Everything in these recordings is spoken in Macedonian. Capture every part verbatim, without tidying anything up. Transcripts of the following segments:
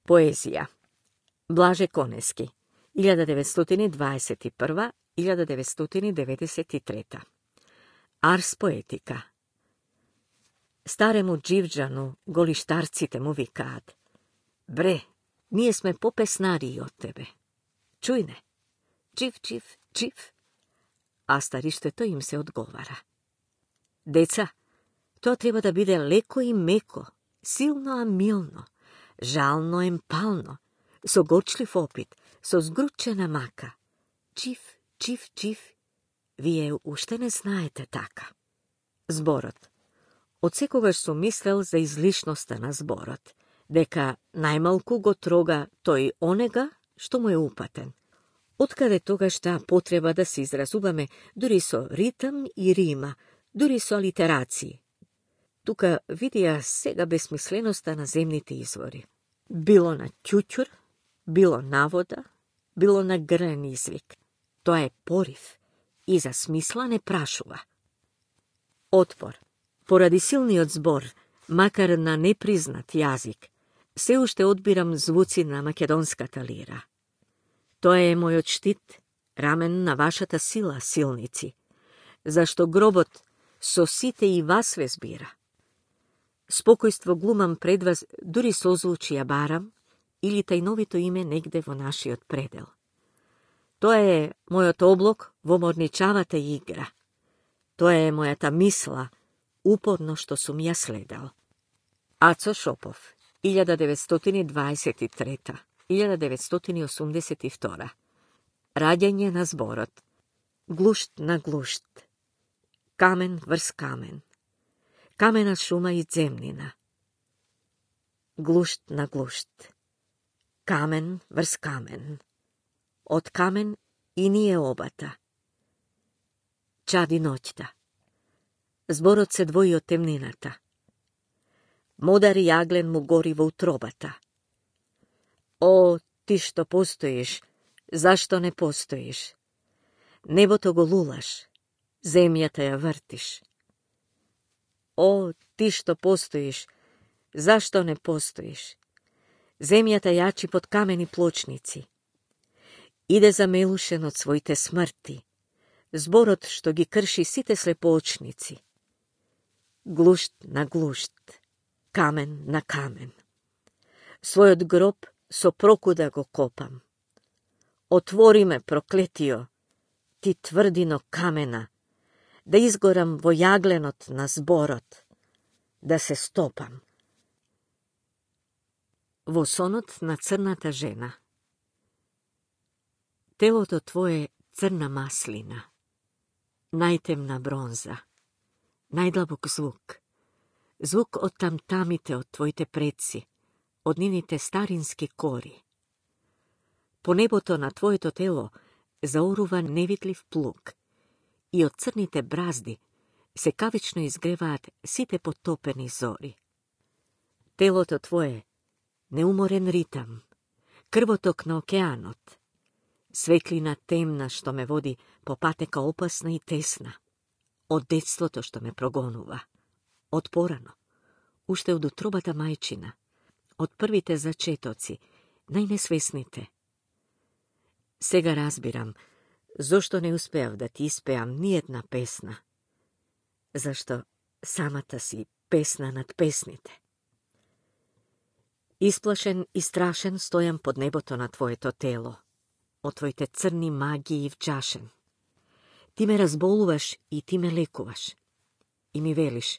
Поезија. Блаже Конески, илјада деветстотини дваесет и прва - илјада деветстотини деветдесет и трета. Арс поетика. Старему Дживџану голиштарците му викаат: Бре, ние сме попеснарии од тебе. Чујне, чив, чив, чив. А стариштето им се одговара: Деца, тоа треба да биде леко и меко, силно а милно, жално емпално, со горчлив опит, со згручена мака. Чив, чив, чив. Вие уште не знаете така. Зборот. Од секогаш сум мислел за излишноста на зборот, дека најмалку го трога тој онега што му е упатен. Откаде тогаш таа потреба да се изразуваме дури со ритм и рима, дури со алитерации. Тука видија сега безсмисленоста на земните извори. Било на ќуќур, било на вода, било на грен извик. Тоа е порив и за смисла не прашува. Отпор. Поради силниот збор, макар на непризнат јазик, се уште одбирам звуци на македонската лира. Тоа е мојот штит, рамен на вашата сила, силници, зашто гробот со сите и вас ве збира. Спокојство глумам пред вас, дури созвучи ја барам, или тајновито име негде во нашиот предел. Тоа е мојот облок во морничавата игра. Тоа е мојата мисла, упорно што сум ја следал. Ацо Шопов, илјада деветстотини дваесет и трета - илјада деветстотини осумдесет и втора. Раѓање на зборот. Глушт на глушт. Камен врз камен. Камена шума и земнина. Глушт на глушт. Камен врз камен. Од камен и ние обата. Чади ноќта. Зборот се двои од темнината. Модар јаглен му гори во утробата. О, ти што постоиш, зашто не постоиш? Небото го лулаш, земјата ја вртиш. О, ти што постоиш, зашто не постоиш? Земјата јачи под камени плочници. Иде замелушен од своите смрти, зборот што ги крши сите слепоочници. Глушт на глушт, камен на камен. Својот гроб со прокуда го копам. Отвори ме, проклетио, ти тврдино камена, да изгорам во јагленот на зборот, да се стопам. Во сонот на црната жена. Телото твое црна маслина, најтемна бронза, најдлабок звук, звук од тамтамите од твоите предци, од нивните старински кори. По небото на твоето тело заорува невидлив плуг и од црните бразди се кавично изгреваат сите потопени зори. Телото твое неуморен ритам, крвоток на океанот, светлина темна што ме води по патека опасна и тесна, од детството што ме прогонува, од порано, уште од утробата мајчина, од првите зачетоци, најнесвесните. Сега разбирам зошто не успеав да ти испеам ни една песна, зашто самата си песна над песните. Исплашен и страшен стојам под небото на твоето тело, од твоите црни магии вџашен. Ти ме разболуваш и ти ме лекуваш. И ми велиш: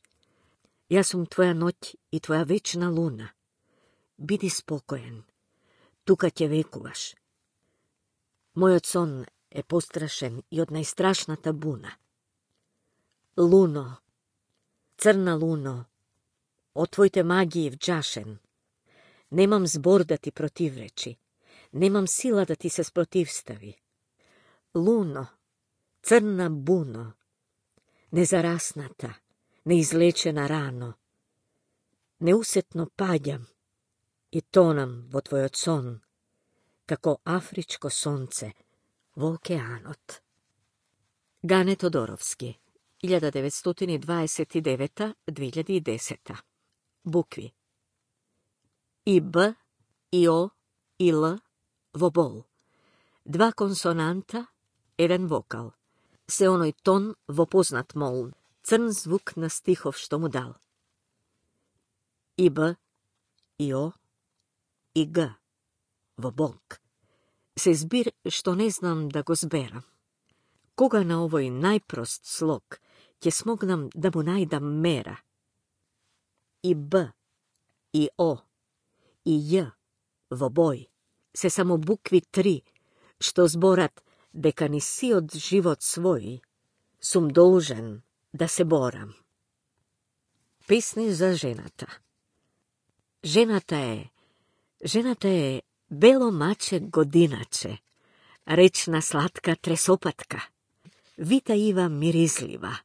јас сум твоја ноќ и твоја вечна луна. Биди спокоен, тука ќе векуваш. Мојот сон е пострашен и од најстрашната буна. Луно, црна луно, од твоите магии вџашен. Немам збор да ти противречи, немам сила да ти се спротивстави. Луно, црна буно, незарасната, неизлечена рано. Неусетно паѓам и тонам во твојот сон, како афричко сонце во океанот. Гане Тодоровски, илјада деветстотини дваесет и девета - две илјади и десета. Букви. И Б и O и L во бол. Два консонанта, еден вокал. Се оној тон во познат мол, црн звук на стихов што му дал. И Б, и О, и Г во Бог. Се збир што не знам да го зберам. Кога на овој најпрост слог ќе смогнам да му најдам мера. И Б, и О, и Ј во бој се само букви три, што зборат дека ни сиот живот свој сум должен да се борам. Песни за жената. Жената е, жената е бело маче годиначе, речна сладка тресопатка, вита ива миризлива,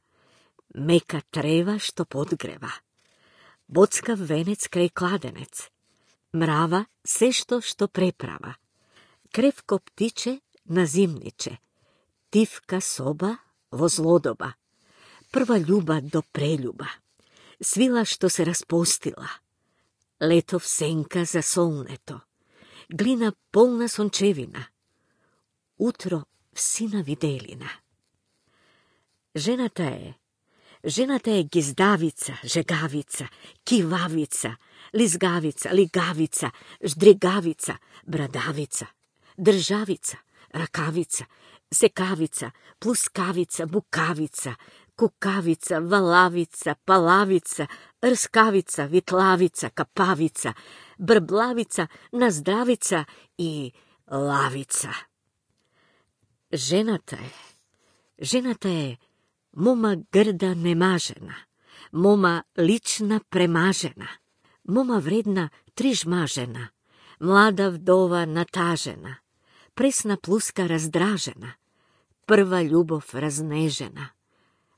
мека трева што подгрева, боцкав венец крај кладенец, мрава се што што преправа, кревко птиче на зимниче, тивка соба во злодоба, прва љуба до прелюба, свила што се распустила, летов сенка за солнето, глина полна сончевина, утро всина виделина. Жената е, жената е гиздавица, жегавица, кивавица, лизгавица, лигавица, ждригавица, брадавица, државица, ракавица, секавица, плускавица, букавица, кукавица, валавица, палавица, рскавица, витлавица, капавица, брблавица, наздравица и лавица. Жената е, жената е мома грда немажена, мома лична премажена, мома вредна трижмажена, млада вдова натажена, пресна плуска раздражена, прва љубов разнежена,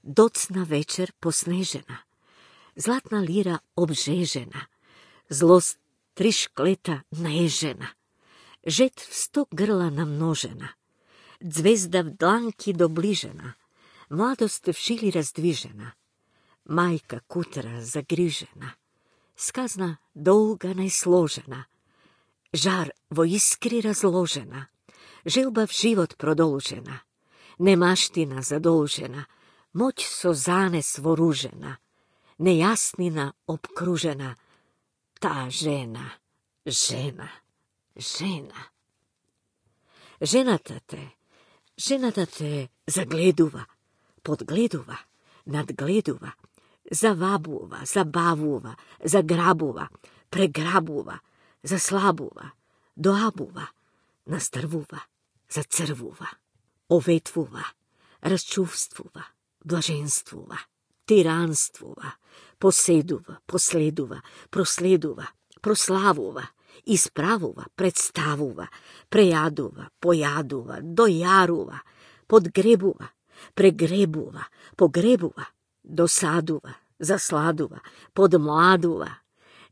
доцна вечер поснежена, златна лира обжежена, злост три шклета наежена, жет в сто грла намножена, звезда в дланки доближена, младост в шили раздвижена, мајка кутра загрижена, сказна долга најсложена, жар во искри разложена, желба в живот продолжена, немаштина задолжена, моќ со занес вооружена, нејаснина обкружена, та жена, жена, жена. Жената те, жената те загледува, подгледува, надгледува, завабува, забавува, заграбува, преграбува, заслабува, доабува, настрвува, зацрвува, оветвува, расчувствува, блаженствува, тиранствува, поседува, последува, проследува, прославува, исправува, представува, прејадува, појадува, дојарува, подгребува, прегребува, погребува, досадува, засладува, подмладува,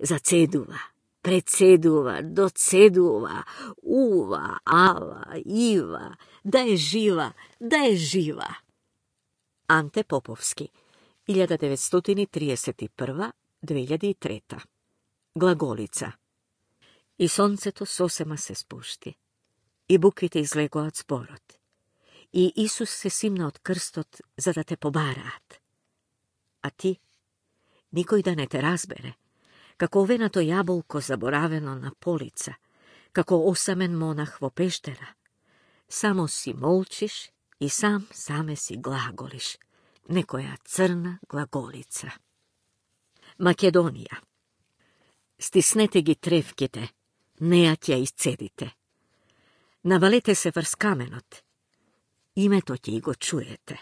зацедува, председува, доцедува, ува, ава, ива, да е жива, да е жива. Анте Поповски, илјада деветстотини триесет и прва до две илјади и трета. Глаголица. И сонцето сосема се спушти, и буквите излегоа од зборот, и Исус се симна од крстот за да те побараат. А ти, никој да не те разбере, како овеното јаболко заборавено на полица, како осамен монах во пештера, само си молчиш и сам саме си глаголиш, некоја црна глаголица. Македонија. Стиснете ги тревките, неа ќе исцедите. Навалете се врз каменот, името ќе и го чуете.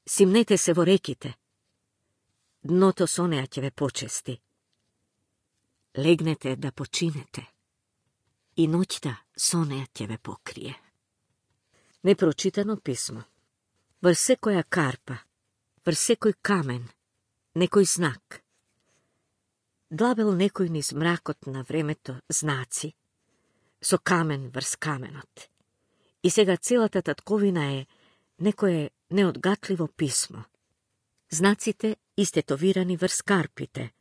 Симнете се во реките, дното со неа ќе ве почести. Легнете да починете, и ноќта со неа ќе ве покрие. Непрочитано писмо. Врз секоја карпа, врз секој камен, некој знак. Длабел некој низ мракот на времето знаци, со камен врз каменот. И сега целата татковина е некое неодгатливо писмо. Знаците истетовирани врз карпите,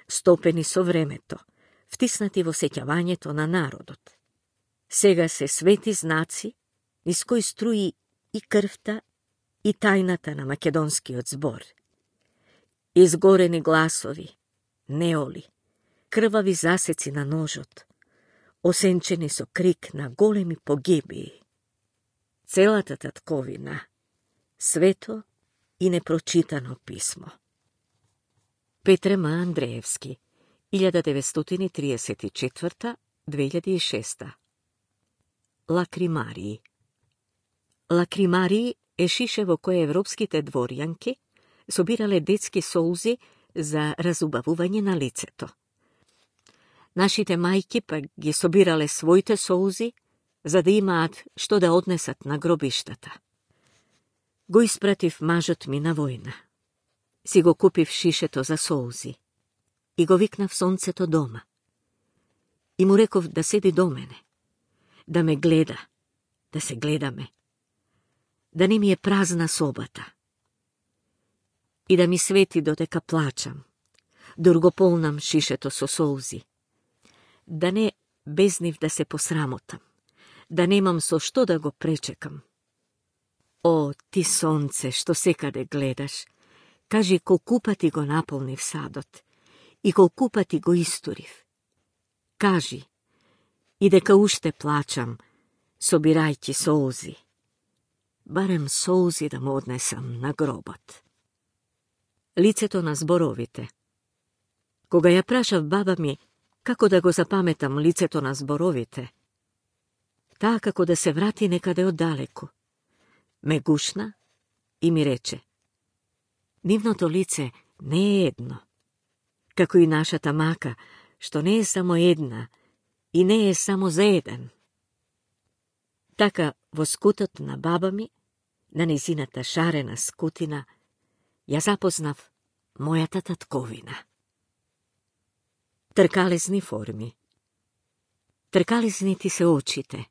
стопени со времето, втиснати во сеќавањето на народот. Сега се свети знаци, низ кои струи и крвта, и тајната на македонскиот збор. Изгорени гласови, неоли, крвави засеци на ножот, осенчени со крик на големи погибии. Целата татковина, свето и непрочитано писмо. Петре М. Андреевски, илјада деветстотини триесет и четврта до две илјади и шеста. Лакримарии. Лакримарии е шише во кое европските дворјанки собирале детски солзи за разубавување на лицето. Нашите мајки пак ги собирале своите солзи за да имаат што да однесат на гробиштата. Го испратив мажот ми на војна. Си го купив шишето за солзи и го викнав сонцето дома. И му реков да седи до мене, да ме гледа, да се гледаме, да не ми е празна собата и да ми свети додека плачам, дор го полнам шишето со солзи, да не без нив да се посрамотам, да немам со што да го пречекам. О, ти сонце, што секаде гледаш, кажи колку пати го наполнив садот и колку пати го истурив. Кажи, и дека уште плачам, собирајќи солзи. Барем солзи да му однесам на гробот. Лицето на зборовите. Кога ја прашав баба ми како да го запаметам лицето на зборовите, таа како да се врати некаде оддалеку, ме гушна и ми рече: нивното лице не е едно, како и нашата мака, што не е само една и не е само за еден. Така, во скутот на баба ми, на незината шарена скутина, ја запознав мојата татковина. Тркалезни форми. Тркалезни ти се очите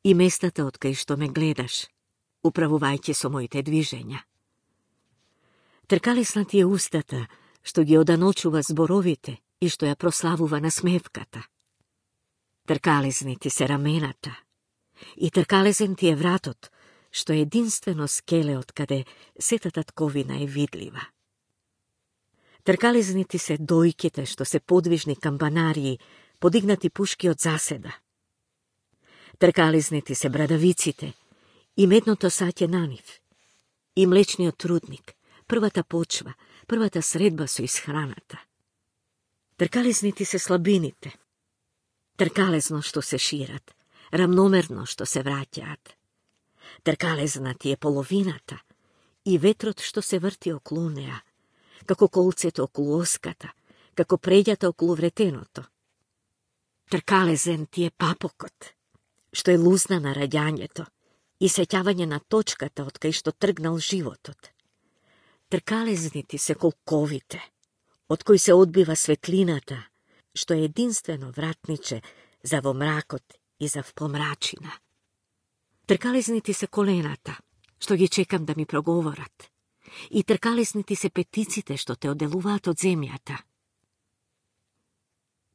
и местата од кај што ме гледаш, управувајќи со моите движења. Тркалесна ти е устата, што ги оданочува зборовите и што ја прославува насмевката. Тркалезни ти се рамената и тркалезен ти е вратот, што е единствено скеле од каде сета татковина е видлива. Тркалезни ти се дојките, што се подвижни камбанарии, подигнати пушки од заседа. Тркалезни ти се брадавиците и медното саќе на нив, и млечниот трудник, првата почва, првата средба со исхраната. Тркалезни ти се слабините, тркалезно што се шират, рамномерно што се враќаат. Тркалезна ти е половината и ветрот што се врти околу неа, како колцето околу оската, како преѓата околу вретеното. Тркалезен ти е папокот, што е лузна на раѓањето и сеќавање на точката од кај што тргнал животот. Тркалезни ти се колковите, од кои се одбива светлината, што е единствено вратниче за во мракот и за в помрачина. Тркалезни ти се колената, што ги чекам да ми проговорат, и тркалезни ти се петиците што те одделуваат од земјата.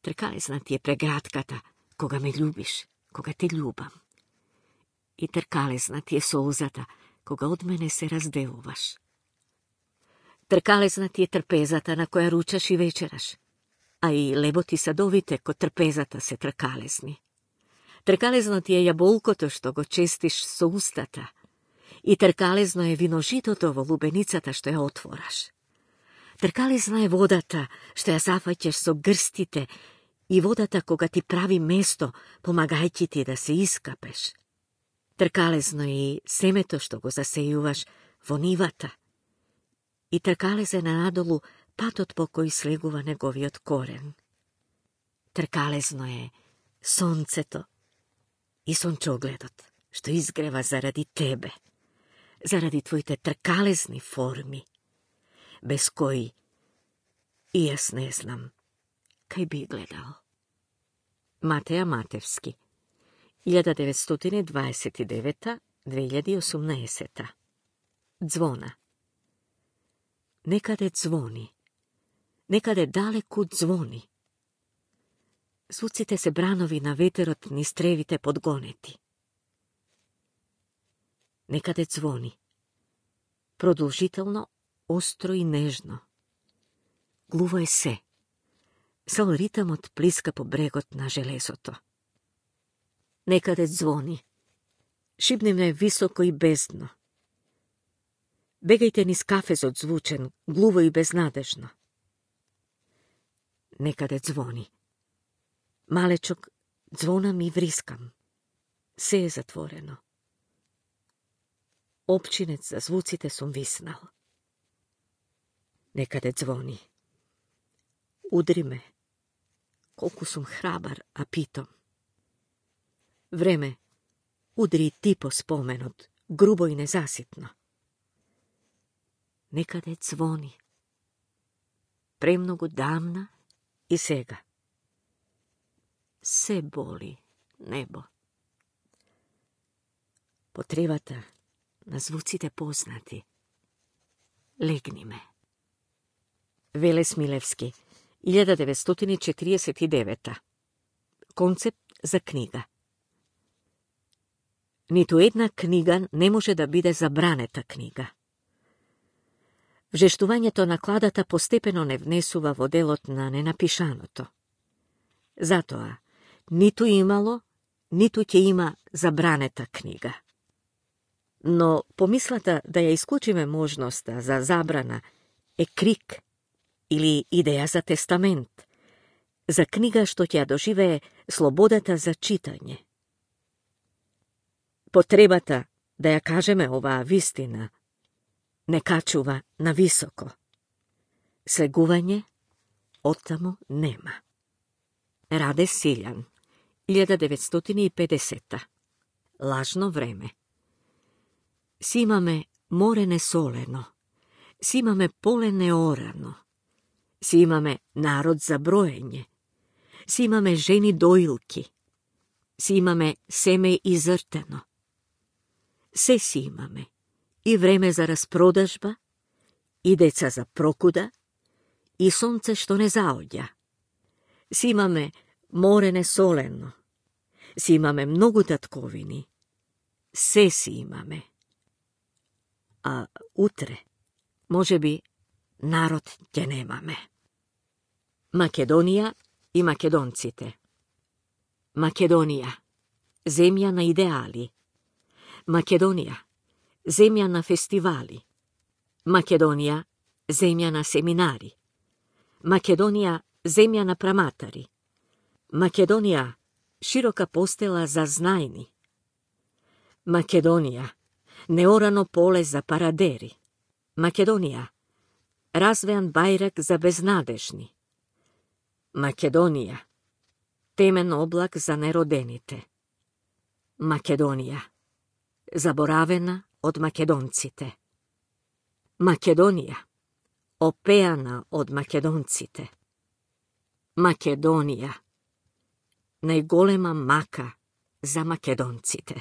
Тркалезна ти е прегратката, кога ме љубиш, кога те љубам. И тркалезна ти е солзата, кога од мене се разделуваш. Тркалезна ти е трпезата на која ручаш и вечераш, а и леботи садовите код трпезата се тркалезни. Тркалезно ти е јаболкото што го честиш со устата и тркалезно е виножитото во лубеницата што ја отвораш. Тркалезна е водата што ја зафаќаш со грстите и водата кога ти прави место, помагајќи ти да се искапеш. Тркалезно и семето што го засејуваш во нивата. И тркалезен е надолу патот по кој слегува неговиот корен. Тркалезно е сонцето и сончогледот што изгрева заради тебе, заради твоите тркалезни форми, без кои и јас не знам кај би гледал. Матеја Матевски, илјада деветстотини дваесет и девета до две илјади и осумнаесета. Звона. Некаде звони, некаде далеку звони. Звуците се бранови на ветерот низ тревите подгонети. Некаде звони. Продолжително, остро и нежно. Глуво е се. Сол ритамот плиска по брегот на железото. Некаде звони. Шибневне високо и бездно. Бегајте низ кафезот звучен, глуво и безнадежно. Некаде звони. Малечок звонам и врискам. Се е затворено. Опчинец за звуците сум виснал. Некаде звони. Удри ме. Колку сум храбар, а питом. Време, удри ти по споменот, грубо и незаситно. Некаде звони. Премногу давна и сега. Се боли небо. Потребата на звуците познати. Легни ме. Веле Смилевски, илјада деветстотини четиридесет и девета. Концепт за книга. Ниту една книга не може да биде забранета книга. Вжештувањето на кладата постепено не внесува во делот на ненапишаното. Затоа, ниту имало, ниту ќе има забранета книга. Но помислата да ја исклучиме можноста за забрана е крик или идеја за тестамент, за книга што ќе ја доживее слободата за читање. Потребата да ја кажеме оваа вистина не качува на високо. Слегување оттаму нема. Раде Силјан, илјада деветстотини и педесета. Лажно време. Си имаме море несолено, си имаме поле неорано, си имаме народ за броење, си имаме жени доилки, си имаме семе изртено. Се си имаме, и време за распродажба, и деца за прокуда, и сонце што не заоѓа. Си имаме море несолено, си имаме многу татковини, се си имаме. А утре, може би, народ ќе немаме. Македонија и македонците. Македонија, земја на идеали. Македонија, земја на фестивали. Македонија, земја на семинари. Македонија, земја на праматари. Македонија, широка постела за знајни. Македонија, неорано поле за парадери. Македонија, развеан бајрак за безнадежни. Македонија, темен облак за неродените. Македонија, заборавена од македонците. Македонија, опеана од македонците. Македонија, најголема мака за македонците.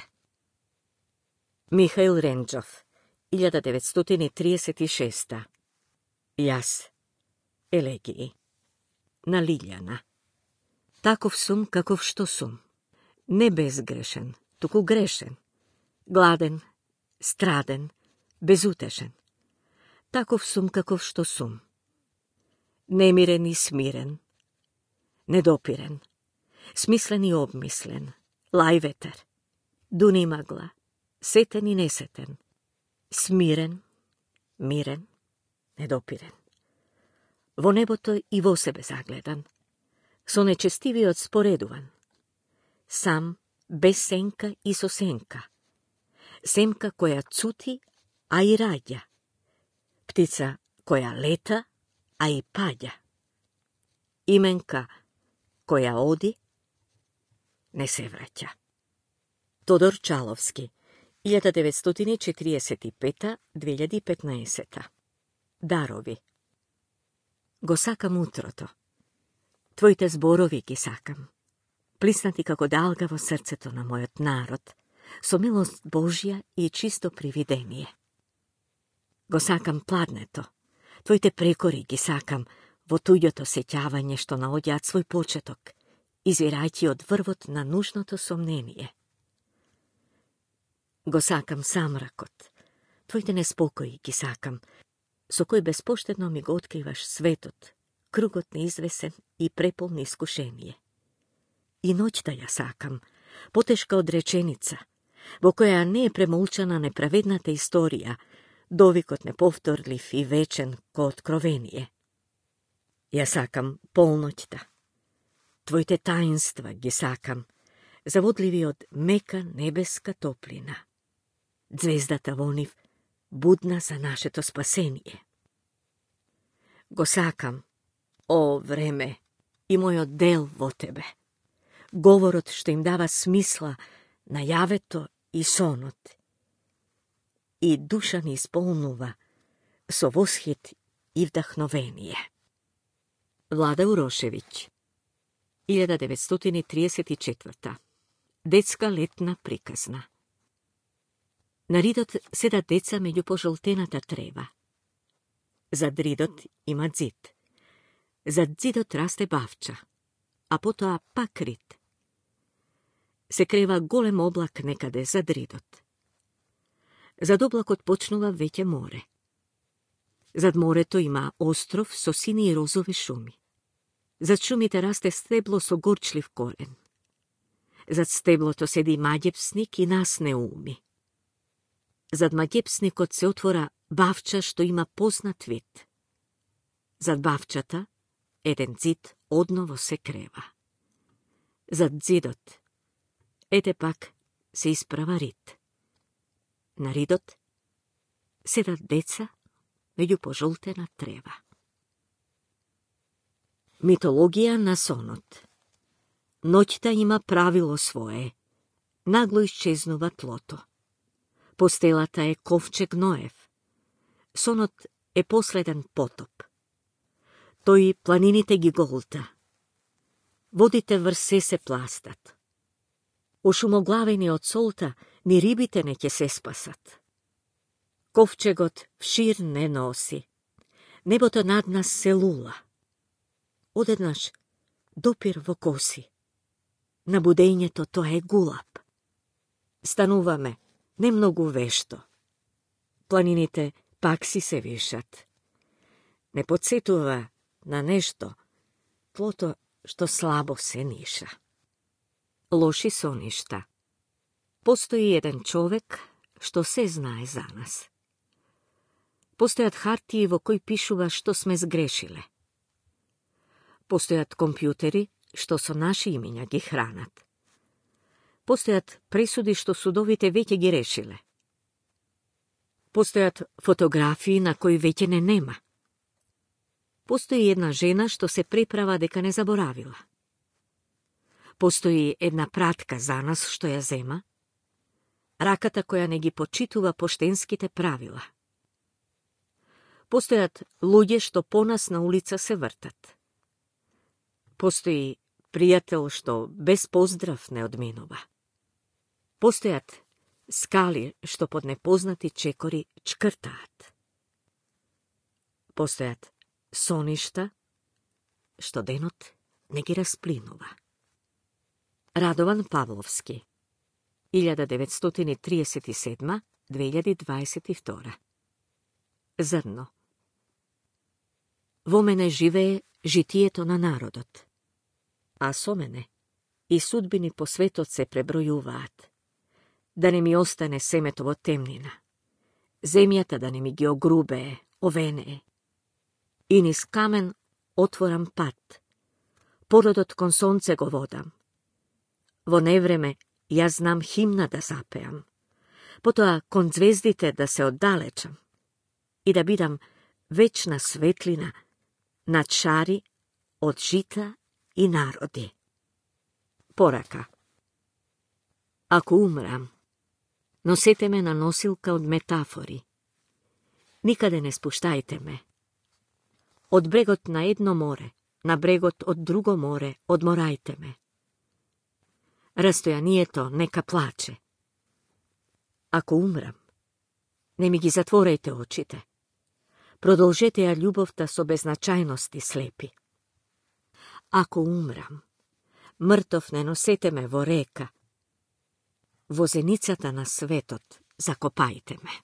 Михаил Ренџов, илјада деветстотини триесет и шеста. Јас, елегии. На Лиљана. Таков сум каков што сум. Не безгрешен, туку грешен. Гладен, страден, безутешен. Таков сум каков што сум. Немирен и смирен. Недопирен. Смислен и обмислен. Лај ветер. Дуни магла. Сетен и несетен. Смирен, мирен, недопирен. Во небото и во себе загледан. Со нечестивиот споредуван. Сам, без сенка и со сенка. Семка која цути, а и раѓа. Птица која лета, а и паѓа. Именка која оди, не се враќа. Тодор Чаловски, илјада деветстотини четириесет и пета до две илјади и петнаесета. Дарови. Го сакам утрото. Твоите зборови ги сакам. Плиснати како далга во срцето на мојот народ, со милост Божја и чисто привидение. Го сакам пладнето. Твоите прекори ги сакам во туѓото сеќавање што наоѓаат свој почеток извирајќи од врвот на нужното сомнение. Го сакам самракот, твоите неспокои ги сакам, со кој безпоштедно ми го откриваш светот, кругот неизвесен и преполн искушение. И ноќта ја сакам, потешка од реченица, во која не е премолчана неправедната историја, довикот неповторлив и вечен ко откровение. Ја сакам полноќта. Твоите таинства ги сакам, заводливи од мека небеска топлина. Звездата во нив будна за нашето спасение. Го сакам, о време, и мојот дел во тебе. Говорот што им дава смисла на јавето и сонот. И душа ни исполнува со восхит и вдахновение. Влада Урошевиќ, илјада деветстотини триесет и четврта. Детска летна приказна. На ридот седат деца меѓу пожолтената трева. Зад ридот има ѕид. Зад ѕидот расте бавча, а потоа пак рид. Се крева голем облак некаде зад ридот. Зад облакот почнува веќе море. Зад морето има остров со сини и розови шуми. Зад шумите расте стебло со горчлив корен. Зад стеблото седи маѓепсник и нас не уми. Зад маѓепсникот се отвора бавча што има познат вид. Зад бавчата еден ѕид одново се крева. Зад ѕидот ете пак се исправа рид. На ридот седат деца меѓу пожолтена трева. Митологија на сонот. Ноќта има правило свое. Нагло исчезнува тлото. Постелата е ковчег Ноев. Сонот е последен потоп. Тој планините ги голта. Водите врз се се пластат. Ошумоглавени од солта, ни рибите не ќе се спасат. Ковчегот вшир не носи. Небото над нас се лула. Одеднаш допир во коси. На будењето тоа е гулап. Стануваме не многу вешто. Планините пак си се вишат. Не подсетува на нешто, тлото што слабо се ниша. Лоши соништа. Постои еден човек што се знае за нас. Постојат хартии во кои пишува што сме сгрешиле. Постојат компјутери што со наши имиња ги хранат. Постојат пресуди што судовите веќе ги решиле. Постојат фотографии на кои веќе не нема. Постои една жена што се преправа дека не заборавила. Постои една пратка за нас што ја зема, раката која не ги почитува поштенските правила. Постојат луѓе што по нас на улица се вртат. Постои пријател што без поздрав не одминува. Постојат скали што под непознати чекори чкртаат. Постојат соништа што денот не ги расплинува. Радован Павловски, илјада деветстотини триесет и седма до две илјади дваесет и втора. Зрно. Во мене живее житието на народот, а со мене и судбини по светот се пребројуваат. Да не ми остане семето во темнина, земјата да не ми ги огрубее, овенее. И низ камен отворам пат, породот кон сонце го водам. Во невреме јас знам химна да запеам, потоа кон звездите да се оддалечам и да бидам вечна светлина над шари од жита и народи. Порака. Ако умрам, носете ме на носилка од метафори. Никаде не спуштајте ме. Од брегот на едно море, на брегот од друго море, одморајте ме. Растојанието нека плаче. Ако умрам, не ми ги затворејте очите. Продолжете ја љубовта со беззначајности слепи. Ако умрам, Мртов не носете ме во река. Во зеницата на светот закопајте ме.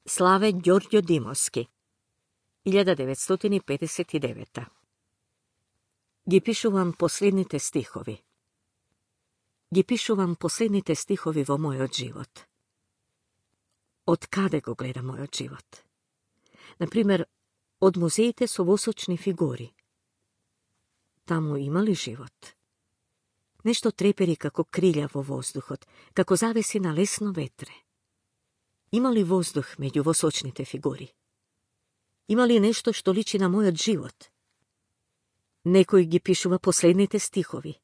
Славе Ѓорѓо Димовски, илјада деветстотини педесет и девета. Ги пишувам последните стихови. Ги пишувам последните стихови во мојот живот. Од каде го гледа мојот живот? Например, од музеите со восочни фигури. Таму има ли живот? Нешто трепери како крилја во воздухот, како завеси на лесно ветре. Има ли воздух меѓу восочните фигури? Има ли нешто што личи на мојот живот? Некој ги пишува последните стихови.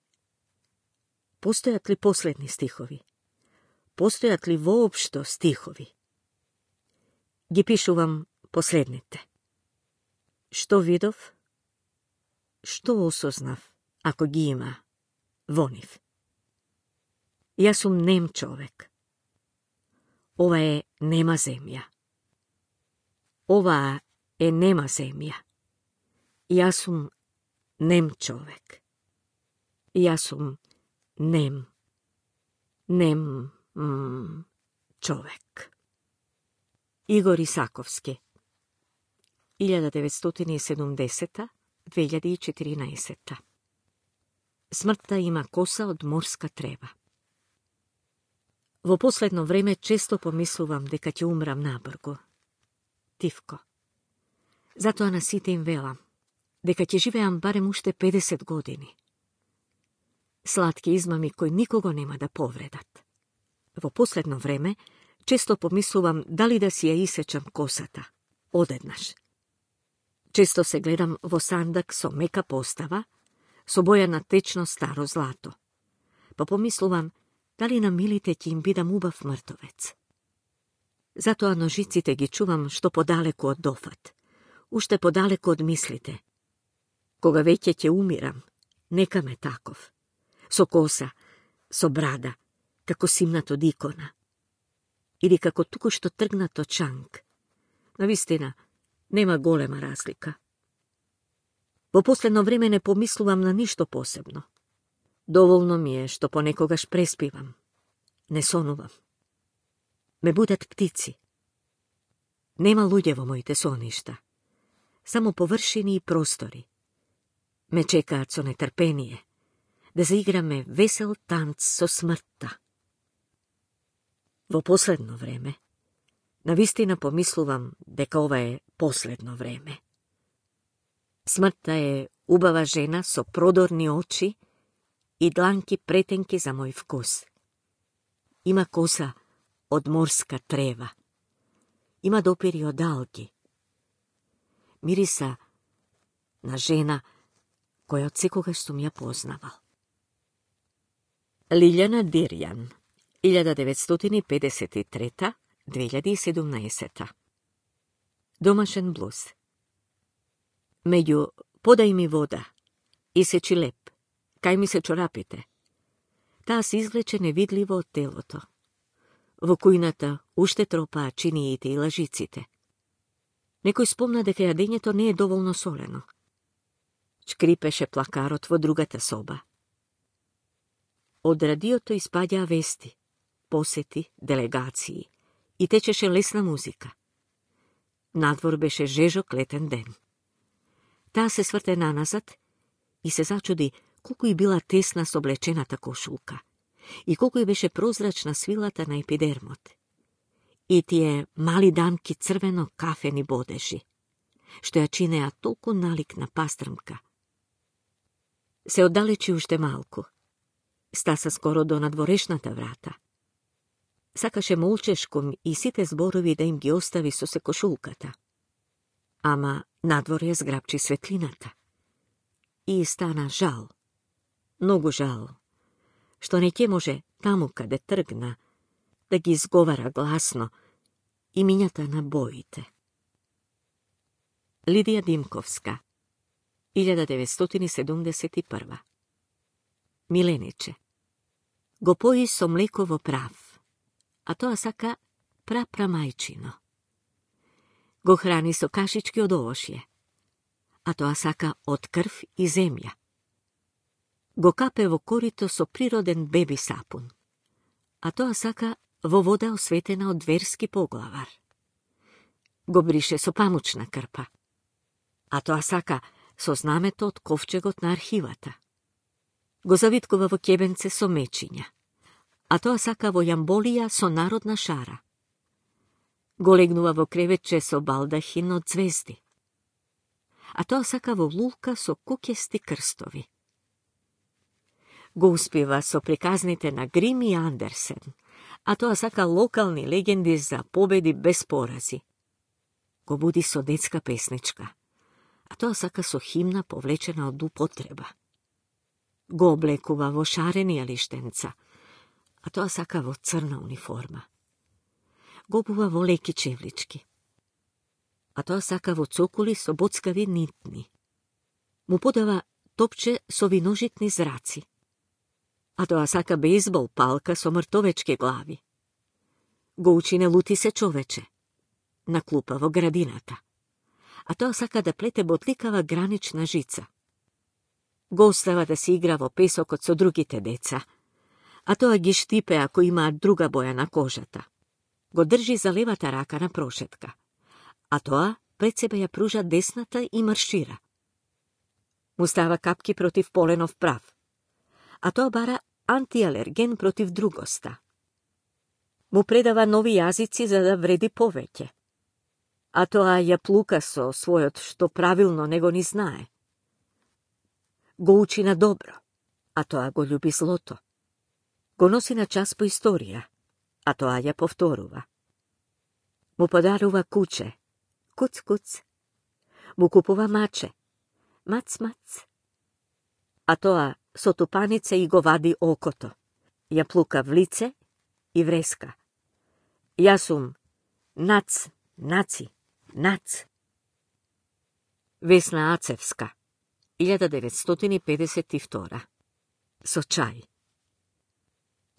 Постојат ли последни стихови? Постојат ли воопшто стихови? Ги пишувам последните. Што видов? Што осознав, ако ги има во нив? Јас сум нем човек. Ова е нема земја. Ова е нема земја. Јас сум нем човек. Јас сум нем, нем м, човек. Игор Исаковски, илјада деветстотини и седумдесета до две илјади и четиринаесета. Смртта има коса од морска трева. Во последно време често помислувам дека ќе умрам набргу. Тивко. Затоа на сите им велам дека ќе живеам барем уште педесет години. Сладки измами кои никого нема да повредат. Во последно време често помислувам дали да си ја исечам косата, одеднаш. Често се гледам во сандак со мека постава, со боја на течно старо злато. Па помислувам дали на милите ќе им бидам убав мртовец. Затоа ножиците ги чувам што подалеку од дофат, уште подалеку од мислите. Кога веќе ќе умирам, нека ме таков, со коса, со брада, како симнат од икона. Или како туку што тргнат од чанг. Навистина, нема голема разлика. Во последно време не помислувам на ништо посебно. Доволно ми е што понекогаш преспивам. Не сонувам. Ме будат птици. Нема луѓе во моите соништа. Само површини и простори. Ме чекаат со нетрпение да заиграме весел танц со смртта. Во последно време, навистина помислувам дека ова е последно време. Смртта е убава жена со продорни очи и дланки претенки за мој вкус. Има коса од морска трева. Има допири од алги. Мириса на жена која од секогаш сум ја познавал. Лилјана Дирјан, илјада деветстотини педесет и трета до две илјади и седумнаесета. Домашен блуз. Меѓу подај ми вода, исечи леп, кај ми се чорапите. Таа се извлече невидливо од телото. Во кујната уште тропаа чиниите и лажиците. Некој спомна дека јадењето не е доволно солено. Шкрипеше плакарот во другата соба. Од радиото испаѓаа вести, посети, делегации и течеше лесна музика. Надвор беше жежок летен ден. Таа се сврте наназад и се зачуди колку и била тесна со облечената кошулка и колку и беше прозрачна свилата на епидермот. И тие мали дамки црвено кафени бодежи, што ја чинеа толку налик на пастрмка. Се оддалечи уште малку. Стаса скоро до надворешната врата. Сакаше молчешком и сите зборови да им ги остави со се кошулката. Ама надвор ја зграбчи светлината. И стана жал, многу жал, што не ќе може таму каде тргна да ги изговара гласно имињата на боите. Лидија Димковска, илјада деветстотини седумдесет и прва. Милениче. Го пои со млеко во прав, а тоа сака прапрамајчино. Го храни со кашички од овошје, а тоа сака од крв и земја. го капе во корито со природен беби сапун, а тоа сака во вода осветена од верски поглавар. Го брише со памучна крпа, а тоа сака со знамето од ковчегот на архивата. Го завиткува во ќебенце со мечиња, а тоа сака во јамболија со народна шара. Го легнува во креветче со балдахин од звезди, а тоа сака во лулка со куќести крстови. Го успива со приказните на Грим и Андерсен, а тоа сака локални легенди за победи без порази. Го буди со детска песничка, а тоа сака со химна повлечена од употреба. Го облекува во шарени алиштенца, а тоа сака во црна униформа. Го обува во леки чевлички, а тоа сака во цокули со боцкави нитни. Му подава топче со виножитни зраци, а тоа сака бейсбол палка со мртовечки глави. Го учи не лути се човече на клупа во градината, а тоа сака да плете ботликава гранична жица. Го остава да се игра во песокот со другите деца, а тоа ги штипе ако имаат друга боја на кожата. Го држи за левата рака на прошетка, а тоа пред себе ја пружа десната и маршира. Му става капки против поленов прав, а тоа бара антиалерген против другоста. Му предава нови јазици за да вреди повеќе, а тоа ја плука со својот што правилно него ни знае. Го учи на добро, а тоа го љуби злото. Го носи на час по историја, а тоа ја повторува. Му подарува куче, куц-куц. Му купува маче, мац-мац. А тоа со тупаница и го вади окото. Ја плука в лице и вреска. Јас сум нац, наци, нац. Весна Ацевска, илјада деветстотини педесет и втора. Со чај.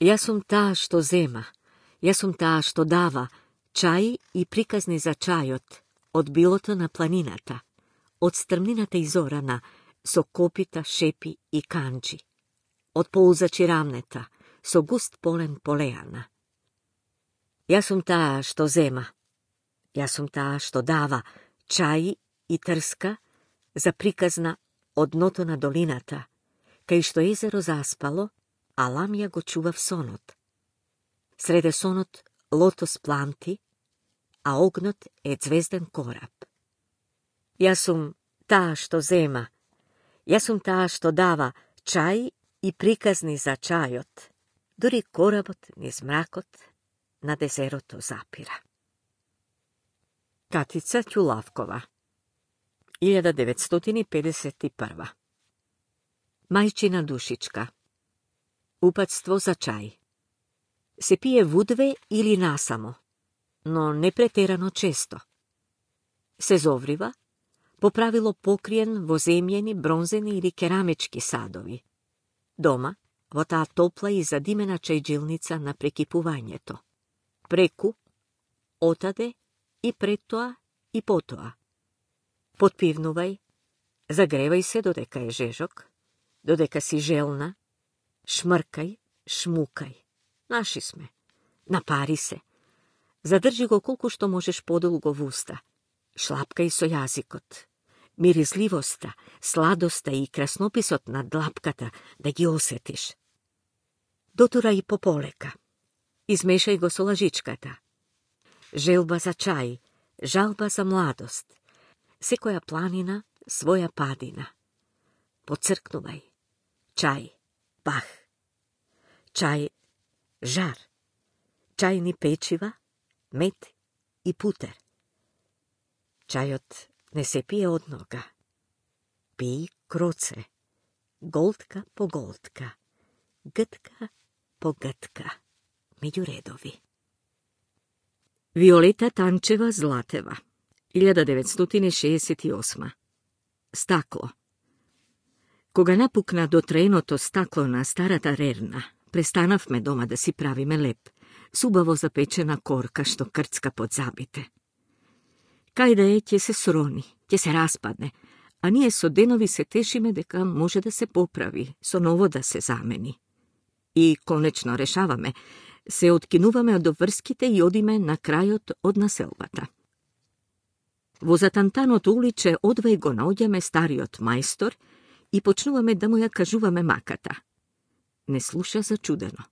Јас сум таа што зема, јас сум таа што дава чај и приказни за чајот од билото на планината, од стрмнината изорана со копита, шепи и канџи, од ползачи рамнета со густ полен полеана. Јас сум таа што зема, јас сум таа што дава чај и трска за приказна од дното на долината, кај што езеро заспало, а ламја го чува в сонот. Среде сонот лотос планти, а огнот е звезден кораб. Јас сум таа што зема, јас сум таа што дава чај и приказни за чајот, дури коработ низ мракот на дезерото запира. Катица Ќулавкова, илјада деветстотини педесет и прва. Мајчина душичка. Упатство за чај. Се пие вудве или насамо, но не претерано често. Се зоврива, по правило покриен во земјени, бронзени или керамички садови. Дома, во таа топла и задимена чајджилница на прекипувањето. Преку, отаде и пред тоа и потоа. Потпивнувај, загревај се додека е жежок, додека си желна, шмркај, шмукај. Наши сме. Напари се. Задржи го колку што можеш подолго в уста. Шлапкај со јазикот. Миризливоста, сладоста и краснописот на длапката да ги осетиш. Дотура и пополека. Измешај го со лажичката. Желба за чај, жалба за младост. Секоја планина, своја падина. Поцркнувај. Чај, пах. Чај, жар. Чајни печива, мед и путер. Чајот не се пие од нога. Пи кроце, голтка по голтка, гтка по гтка, меѓу редови. Виолета Танчева Златева, илјада деветстотини шеесет и осма. Стакло. Кога напукна до треното стакло на старата рерна, престанавме дома да си правиме леп, субаво запечена корка што крцка под забите. Кај да е, ќе се срони, ќе се распадне, a ние со деноvi се тешиме дека може да се поправи, со ново да се замени. И конечно решаваме, се откинуваме од обврските и одиме на крајот од населбата. Во затантаното уличе одвај го наоѓаме стариот мајстор и почнуваме да му ја кажуваме маката. Не слуша зачудено.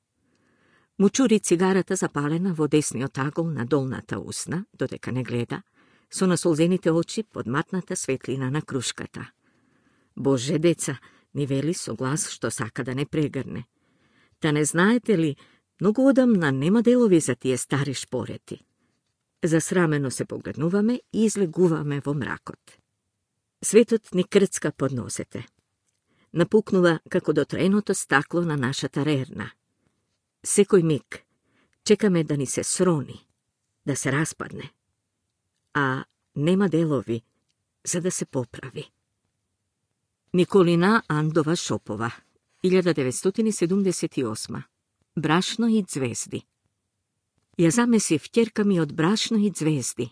Му чури цигарата запалена во десниот агол на долната усна, додека не гледа, со насолзените очи под матната светлина на крушката. Боже, деца, ни вели со глас што сака да не прегрне. Та не знаете ли, многу одамна нема делови за тие стари шпорети. Засрамено се погледнуваме и излегуваме во мракот. Светот ни крцка под носете. Напукнува како дотреното стакло на нашата рерна. Секој миг чекаме да ни се срони, да се распадне, а нема делови за да се поправи. Николина Андова Шопова, илјада деветстотини седумдесет и осма. Брашно и ѕвезди. Ја замесив ќерка ми од брашно и ѕвезди.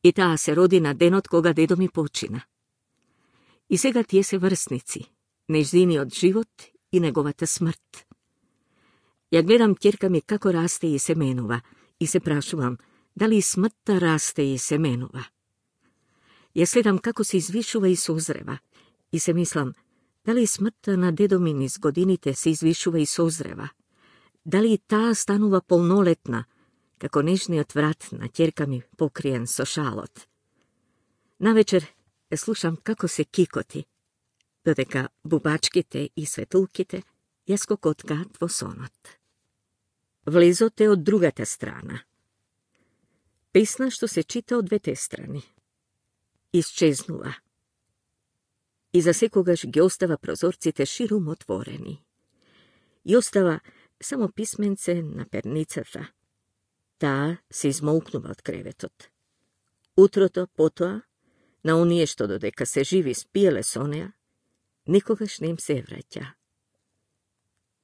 И таа се роди на денот кога дедо ми почина. И сега тие се врсници, нејзиниот живот и неговата смрт. Ја гледам ќерка ми како расте и се менува и се прашувам дали и смртта расте и се менува. Ја следам како се извишува и созрева и се мислам дали смртта на дедо ми низ годините се извишува и созрева. Дали и таа станува полнолетна, како нежниот врат на ќерка ми покриен со шалот. Навечер ја слушам како се кикоти, додека бубачките и светулките ја скокоткаат во сонот. Влезот е од другата страна. Песна што се чита од двете страни. Исчезнува. И за секогаш ги остава прозорците ширум отворени. И остава само писменце на перницата. Таа се измолкнува од креветот. Утрото потоа, на оние што додека се живи спиеле со неа, никогаш не им се враќа.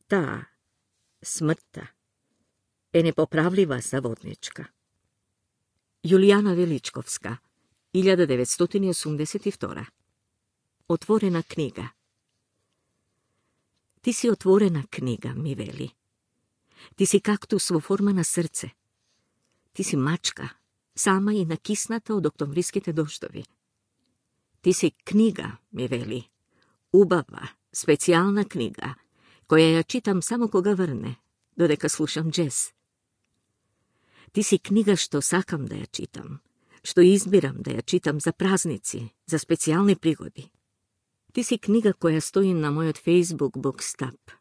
Таа, смртта, е непоправлива заводничка. Јулијана Величковска, илјада деветстотини осумдесет и втора. Отворена книга. Ти си отворена книга, ми вели. Ти си кактус во форма на срце. Ти си мачка, сама и накисната од октомвриските дождови. Ти си книга, ми вели. Убава, специјална книга, која ја читам само кога врне, додека слушам джез. Ти си книга што сакам да ја читам, што избирам да ја читам за празници, за специјални пригоди. Ти си книга која стои на мојот Facebook букстап.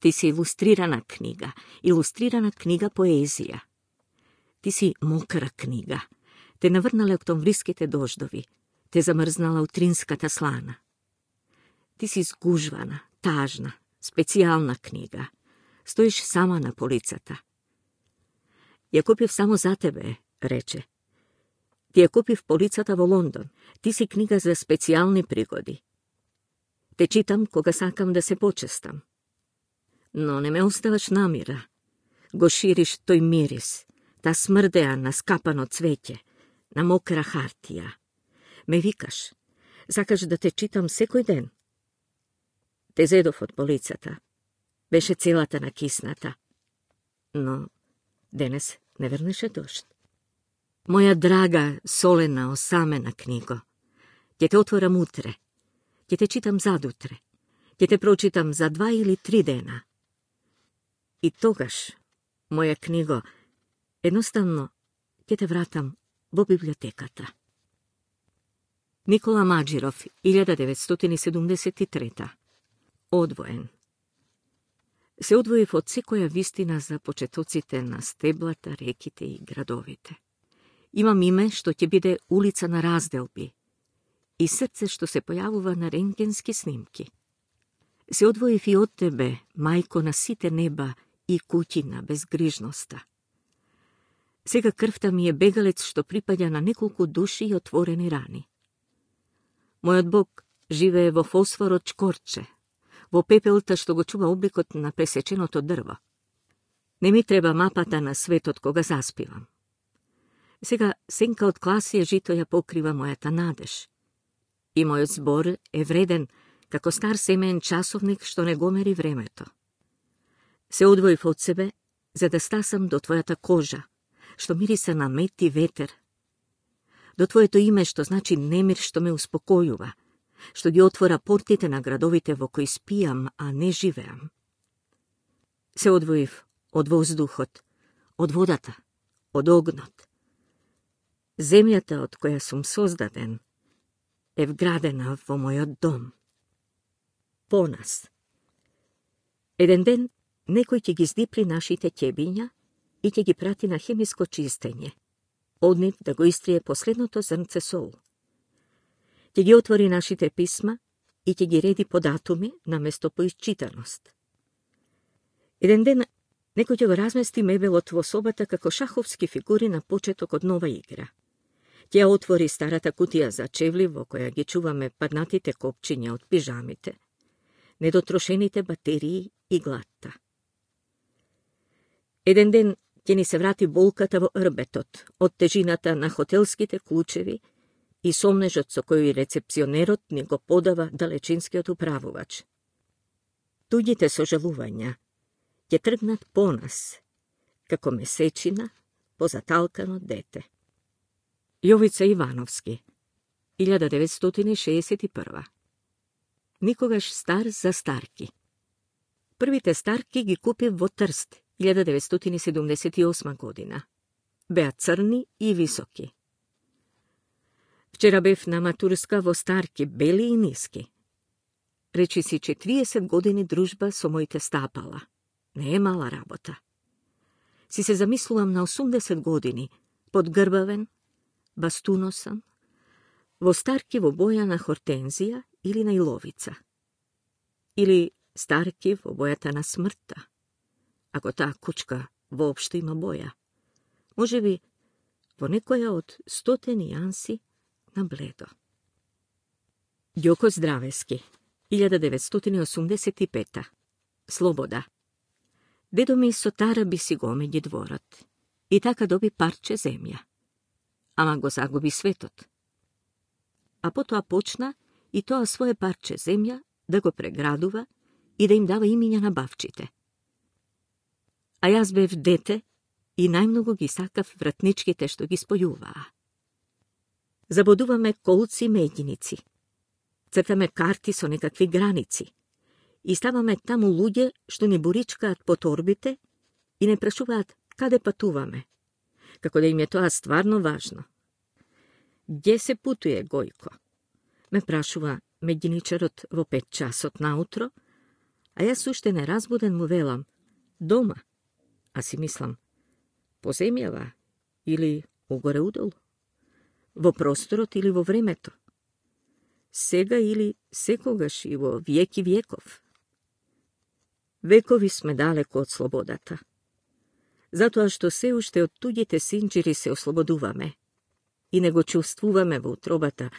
Ти си илустрирана книга, илустрирана книга поезија. Ти си мокра книга. Те наврнале октомвриските дождови, те замрзнала утринската слана. Ти си згужвана, тажна, специјална книга. Стоиш сама на полицата. Ја купив само за тебе, рече. Ти ја купив полицата во Лондон. Ти си книга за специјални пригоди. Те читам кога сакам да се почестам. Но не ме оставаш намира. Го шириш тој мирис, та смрдеа на скапано цвеќе, на мокра хартија. Ме викаш, сакаш да те читам секој ден. Те зедов од полицата. Беше целата накисната. Но денес не вернеше дожд. Моја драга, солена, осамена книго, ќе те отворам утре, ќе те читам задутре, ќе те прочитам за два или три дена. И тогаш, моја книго, едноставно ќе те вратам во библиотеката. Никола Маџиров, илјада деветстотини седумдесет и трета. Одвоен. Се одвоив од секоја вистина за почетоците на стеблата, реките и градовите. Имам име што ќе биде улица на разделби и срце што се појавува на рентгенски снимки. Се одвоив и од тебе, мајко на сите неба и куќи на безгрижноста. Сега крвта ми е бегалец што припаѓа на неколку души и отворени рани. Мојот Бог живее во фосфорот чкорче, во пепелта што го чува обликот на пресеченото дрво. Не ми треба мапата на светот кога заспивам. Сега сенка од класија жито ја покрива мојата надеж. И мојот збор е вреден како стар семеен часовник што не го мери времето. Се одвоив од себе, за да стасам до твојата кожа, што мириса на мед и ветер. До твоето име што значи немир што ме успокојува, што ги отвора портите на градовите во кои спијам, а не живеам. Се одвоив од воздухот, од водата, од огнот. Земјата од која сум создаден е вградена во мојот дом. Понас. Еден ден некој ќе ги здипли нашите ќебиња и ќе ги прати на хемиско чистење, од нив да го истрие последното зрнце сол. Ќе ги отвори нашите писма и ќе ги реди по датуми наместо по исчитаност. Еден ден некој ќе го размести мебелот во собата како шаховски фигури на почеток од нова игра. Ќе ја отвори старата кутија за чевли во која ги чуваме паднатите копчиња од пижамите, недотрошените батерии и глатта. Еден ден ќе ни се врати болката во рбетот од тежината на хотелските клучеви и сомнежот со кој рецепционерот ни го подава далечинскиот управувач. Туѓите сожалувања ќе тргнат по нас, како месечина по заталкано дете. Јовица Ивановски, илјада деветстотини шеесет и прва. Никогаш стар за старки. Првите старки ги купив во Трст, илјада деветстотини седумдесет и осма година. Беа црни и високи. Вчера бев на матурска во старки, бели и ниски. Речи си четириесет години дружба со моите стапала. Не е мала работа. Си се замислувам на осумдесет години, подгрбавен, бастуносан, во старки во боја на хортензија или на иловица. Или старки во бојата на смртта, ако таа кучка воопшто има боја. Може би во некоја од стоте нијанси на бледо. Ѓоко Здравески, илјада деветстотини осумдесет и пета. Слобода. Дедо ми со тара би си го омеѓи дворот и така доби парче земја. Ама го загуби светот. А потоа почна и тоа свое парче земја да го преградува и да им дава имиња на бавчите. А јас бев дете и најмногу ги сакав вратничките што ги спојуваа. Забодуваме колци меѓиници. Цртаме карти со некакви граници. И ставаме таму луѓе што ни буричкаат по торбите и не прашуваат каде патуваме, како да им е тоа стварно важно. Где се путуе, Гојко? Ме прашува меѓиничарот во пет часот наутро, а јас уште неразбуден му велам дома, а си мислам по земјава или угоре удолу, во просторот или во времето, сега или секогаш и во вјеки вјеков. Векови сме далеко од слободата, затоа што се уште од туѓите синџири се ослободуваме и не го чувствуваме во утробата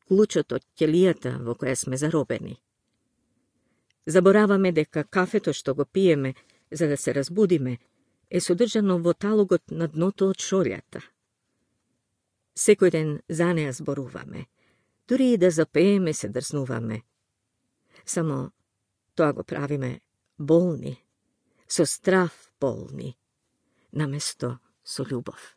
клучот од ќелијата во која сме заробени. Забораваме дека кафето што го пиеме за да се разбудиме е содржано во талогот на дното од шорјата. Секој ден за неа зборуваме, дури и да запееме се дрзнуваме. Само тоа го правиме болни, со страв болни, наместо со љубов.